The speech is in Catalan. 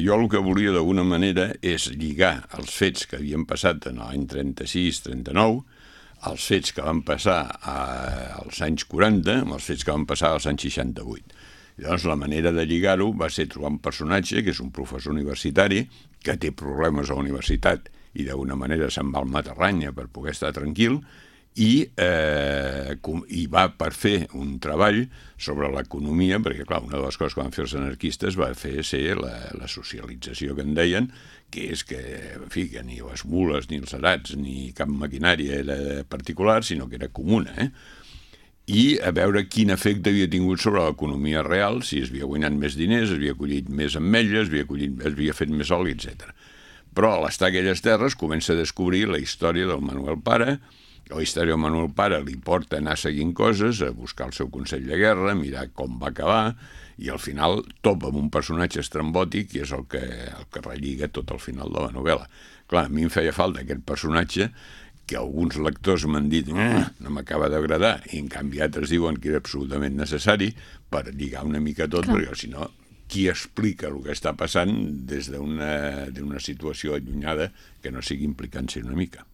Jo el que volia d'alguna manera és lligar els fets que havien passat en l'any 36-39 als fets que van passar als anys 40 amb els fets que van passar als anys 68. I llavors la manera de lligar-ho va ser trobar un personatge que és un professor universitari que té problemes a la universitat i d'alguna manera se'n va al Matarranya per poder estar tranquil i va per fer un treball sobre l'economia, perquè clar, una de les coses que van fer els anarquistes va ser la socialització que en deien, que és que, en fi, que ni les mules, ni els arats, ni cap maquinària era particular, sinó que era comuna, i a veure quin efecte havia tingut sobre l'economia real, si es havia guanyat més diners, es havia collit més ametlles, es havia fet més oli, etc. Però a l'estar a aquelles terres comença a descobrir la història del Manuel Pare. La història del Manuel Pare li porta a anar seguint coses, a buscar el seu consell de guerra, a mirar com va acabar, i al final topa amb un personatge estrambòtic i és el que relliga tot el final de la novel·la. Clar, a mi em feia falta aquest personatge que alguns lectors m'han dit no m'acaba d'agradar, i en canvi altres diuen que era absolutament necessari per lligar una mica tot, perquè si no, qui explica el que està passant des d'una situació allunyada que no sigui implicant-se una mica.